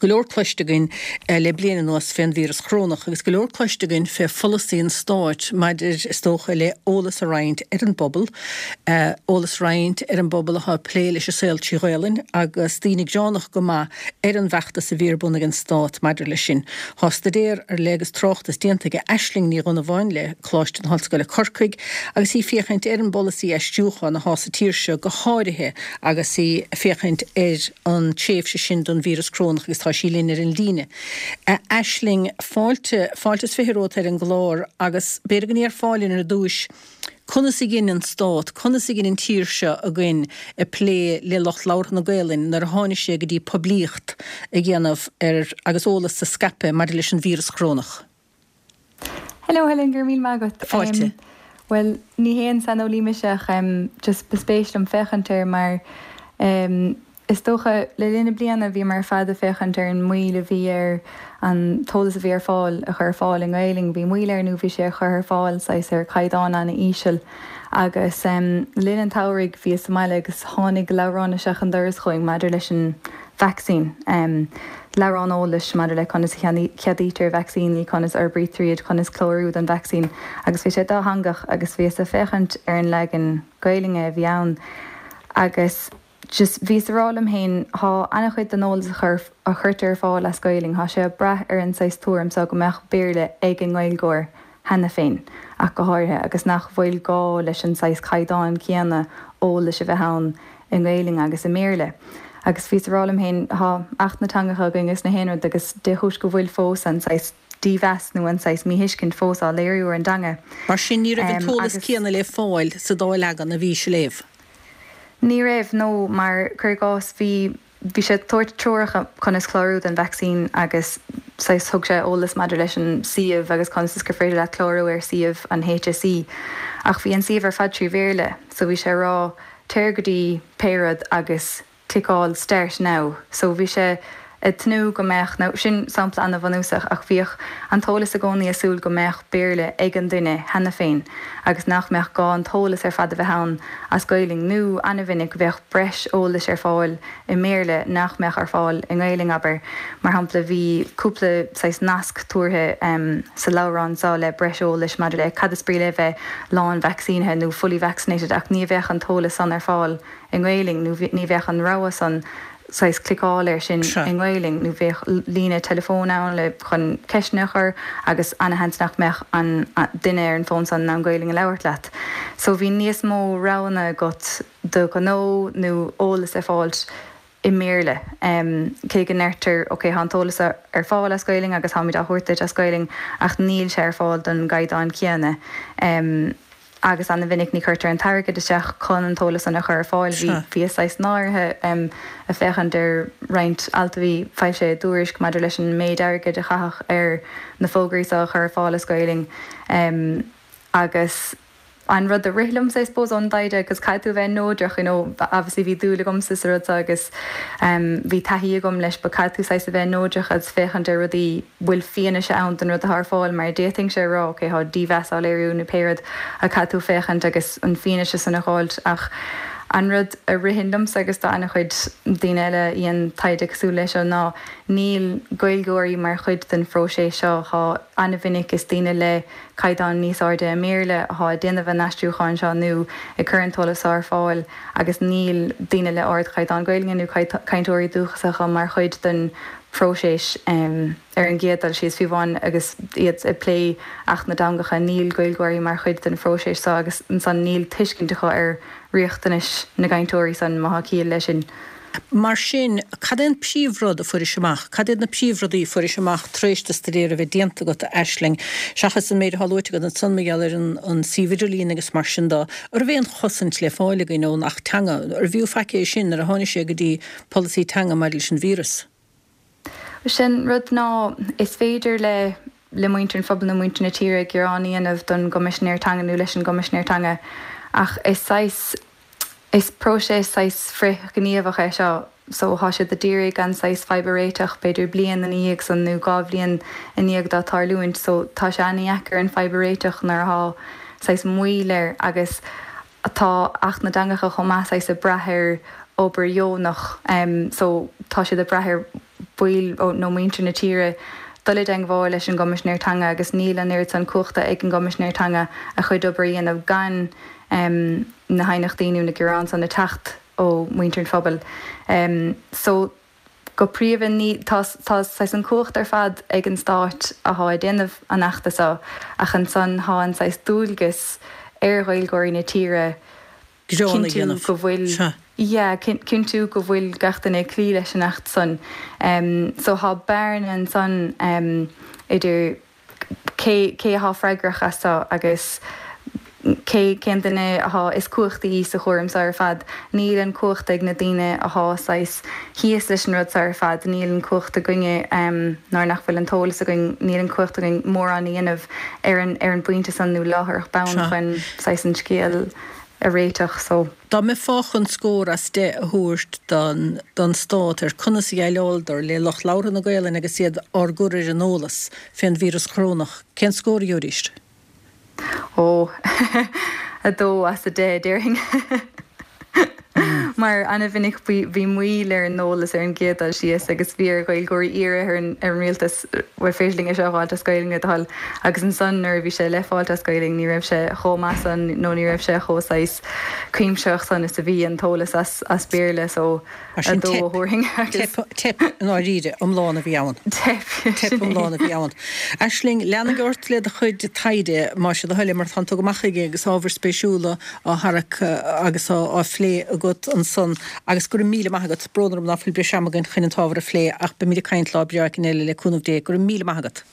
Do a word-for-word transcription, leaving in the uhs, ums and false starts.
Go leor cloiste againn le bliain anuas fén víreas corónach agus go leor cloiste againn fé pholasaí an stáit maidir is dócha le eolas a roinnt ar an bpobal, eolas a roinnt ar an bpobal atá ag plé leis an saol trí Ghaelainn agus daoine gearánach go maith ar an bhfeachtas a bhí ar bun ag an stát maidir leis sin. Tá staidéar ar leith agus tráchtas déanta ag Aisling Ní Dhonnabháin le Coláiste na hOllscoile Corcaigh agus í féachaint ar an bpolasaí aistriúcháin atá sa tír seo go háirithe agus í féachaint ar an tréimhse sin don víreas corónach agus tá sí linn ar an líne. Aisling, fáilte, fáilte is fiche romhat ar an gclár agus b'fhéidir go ndéarfá linn ar dtúis conas a dhein an stát, conas a dhein an tír seo againn ag plé le lucht labhartha na Gaelainne nuair a tháinig sé go dtí poiblíocht a dhéanamh ar agus eolas a scaipeadh maidir leis an víreas corónach. Hello Helen, go raibh míle maith agat. Fáilte. Bhuel, ní haon saineolaí mise ach just ba spéis liom féachaint air mar Is dócha, le linn na bliana bhíomar ar fad ag féachaint ar an moill a bhí ar an t-eolas a bhí ar fáil a chur ar fáil i nGaelainn. Bhí moill air nó bhí sé á chur ar fáil saghas ar chaighdeán an-íseal. Agus le linn an tsamhraidh bhíos sa mbaile agus tháinig leabhrán isteach an doras chugainn maidir leis an vacsaín. Leabhrán eolais maidir le conas a cheadaítear vacsaíní, conas a fhorbraítear iad, conas clárú don vacsaín. Agus bhí sé dátheangach agus bhíos ag féachaint ar an leagan Gaelainne a bhí ann agus just bhíos ag rá liom féin, thá ana-chuid den eolas a chur, a chuirtear ar fáil as Gaelainn, thá sé ag brath ar an saghas tuairim so go mbeadh Béarla ag an nGaeilgeoir cheana féin ach go háirithe agus nach bhfuil gá leis an saghas caighdeán céanna eolais a bheith ann i nGaelainn agus i mBéarla. Agus bhíos ag rá liom féin, thá Acht na dTeangacha againn agus na haon rud agus dé chúis go bhfuil fós an saghas dímheas nó an saghas míthuiscint fós á léiriú ar an dteanga. Mar sin ní raibh an t-eolas céanna le fáil sa dá leagan a bhís a léamh. Ní raibh, no, mar, cuir i gcás, bhí, bhí sé ag tabhairt treoracha conas clárú don vacsaín agus saghas thug sé eolas maidir leis an suíomh agus conas is gur féidir leat clárú ar suíomh an HSE ach bhí an suíomh ar fad trí Bhéarla so bhí sé ag rá téir go dtí pé rud agus cliceáil start now so bhí sé ag tnúth go mbeadh, nó sin sampla ana-bhunúsach, ach bhíodh an t-eolas i gcónaí ag súil go mbeadh Béarla ag an duine cheana féin agus nach mbeadh gá an t-eolas ar fad a bheith ann as Gaelainn, nó ana-mhinic bheadh breis eolais ar fáil i mBéarla nach mbeadh ar fáil i nGaelainn, abair. Mar shampla, bhí cúpla saghas nasc tabhartha sa leabhrán seo le breis eolais maidir le cad is brí le bheith lán-vacsaínithe nó fully vaccinated ach ní bheadh an t-eolas san ar fáil i nGaelainn nó ní bheadh an rogha san saghas cliceáil air sin i nGaelainn nó bheadh líne teileafóin ann le chun ceisteanna a chur agus ana-sheans nach mbeadh an duine ar an bhfón san in ann Gaelainn a labhairt leat. So bhí níos mó roghanna agat do ghnó nó eolas a fháilt i mBéarla. Cé go ndeirtear ok tá an t-eolas ar fáil as Gaelainn agus táimid á thabhairt duit as Gaelainn ach níl sé ar fáil don gcaighdeán céanna. Agus ana-mhinic ní chuirtear an t-airgead isteach chun an t-eolas san a chur ar fáil. Bhí, bhíos saghas náirithe ag féachaint ar roinnt alt a bhí foilsithe i dTuairisc maidir leis an méid airgid a caitheadh ar na fógraí seo a chur ar fáil as Gaelainn agus an rud a rith liomsa I suppose ón dtaighde agus caithfidh tú a bheith neodrach you know obviously bhí dúil agamsa sa rud seo agus bhí taithí agam leis but caithfidh tú saghas a bheith neodrach agus féachaint ar rudaí bhfuil fianaise ann don rud atá ar fáil mar d'fhéadfainnse a rá ok tá dímheas á léiriú nó pé rud ach caithfidh tú féachaint agus an fianaise san a dh'fháilt ach an rud a ritheann liomsa agus do ana-chuid daoine eile a dhein taighde cosúil leis seo ná níl Gaeilgeoirí mar chuid den phróiseas seo thá ana-mhinic is daoine le caighdeán níos airde i mBéarla athá ag déanamh an aistriúcháin seo nó ag cur an t-eolas seo ar fáil agus níl daoine le ardchaighdeán Gaeilge nó cainteoirí dúchasacha mar chuid den phróiseas. Ar an gcéad dul síos, fiú amháin agus iad ag plé Acht na dTeangacha, níl Gaeilgeoirí mar chuid den phróiseas seo agus ansan níl tuiscint acu ar riachtanais na gcainteoirí san, má thá ciall leis sin. Mar sin, cad é an príomhrud a fuairis amach? Cad iad na príomhrudaí a fuairis amach tar éis do staidéar a bheith déanta agat, a Aisling, seachas an méid atá luaite agat ansan mar gheall ar an suíomh idirlín agus mar sin de? An raibh aon chosaint le fáil againn ón Acht Teanga? Arbh fhiú faic é sin nuair a tháinig sé go dtí polasaí teanga maidir leis an víreas? Sin rud ná is féidir le le muintir an phobail nó muintir na tíre gearán a dhéanamh don gCoimisinéir Teanga nó leis an gCoimisinéir Teanga ach is saghas is próiseas saghas frithghníomhach é seo so thá siad a d'iarraidh an saghas fadhb a réiteach b'fhéidir bliain ina dhiaidh san nó dhá bhliain i ndiaidh dó tarlúint so tá sé ana-dheacair an fadhb a réiteach nuair athá saghas moill air agus Tá Acht na dTeangacha chomh maith saghas ag brath ar obair dheonach so tá siad ag brath ar baill nó muintir na tíre dul i dteagmháil leis an gCoimisinéir Teanga agus níl an oiread san cumhachta ag an gCoimisinéir Teanga a chuid obair a dhéanamh gan na haighneachtaí nó na gearáin san ag teacht ó mhuintir an phobail. So go príomha ní tá tá saghas an cumhacht ar fad ag an stát athá ag déanamh an achta seo ach ansan thá an saghas dualgas ar Ghaeilgeoirí na tíre cinntiú go bhfuil yeah cinntiú go bhfuil gach duine ag cloí leis an acht san. So thá bearna ansan idir cé cé athá freagrach as seo agus cé cén duine athá is cumhachtaí sa chúram seo ar fad. Níl an cumhacht ag na daoine athá saghas thíos leis an rud seo ar fad, níl an cumhacht againne nuair nach bhfuil an t-eolas againn, níl an cumhacht againn mórán a dhéanamh ar an ar an bpointe san nó láithreach bonn chun saghas an scéal a réiteach. So. Dá mbeifeá chun scór as deich a thabhairt don don stát ar conas a dhéileáladar le lucht labhartha na Gaelainne agus iad ár gcur ar an eolas fén víreas corónach, cén scór a gheobhaidís? Ó, a dó as a deich, déarfainn. Mar an-mhinic bhí moill ar an eolas ar an gcéad dul síos agus bhí ar Ghaeilgeoirí iarraidh ar an ar an rialtas bhfuil féidir linn é seo a fháilt as Gaeilge le do thoil agus ansan nuair a bhí sé le fáilt as Gaeilge ní raibh sé chomh maith san nó ní raibh sé chomh saghas cuimsitheach san is a bhí an t-eolas as as Béarla so Mar sin a dó a teip, teip i ndáiríre iomlán a bhí ann. Teip, Teip iomlán a bhí ann. Aisling, leanfaidh ort le do chuid taighde, más é do thoil é, mar tánn tú go maith chuige agus ábhair spéisiúla á tharrac agus á phlé agat ansan. Agus go raibh míle maith agat. Brón orm ná fuil breis ama againn chun an t-ábhar a phlé ach beimid ag caint lá breá éigin eile le cúnamh Dé. Go raibh míle maith agat.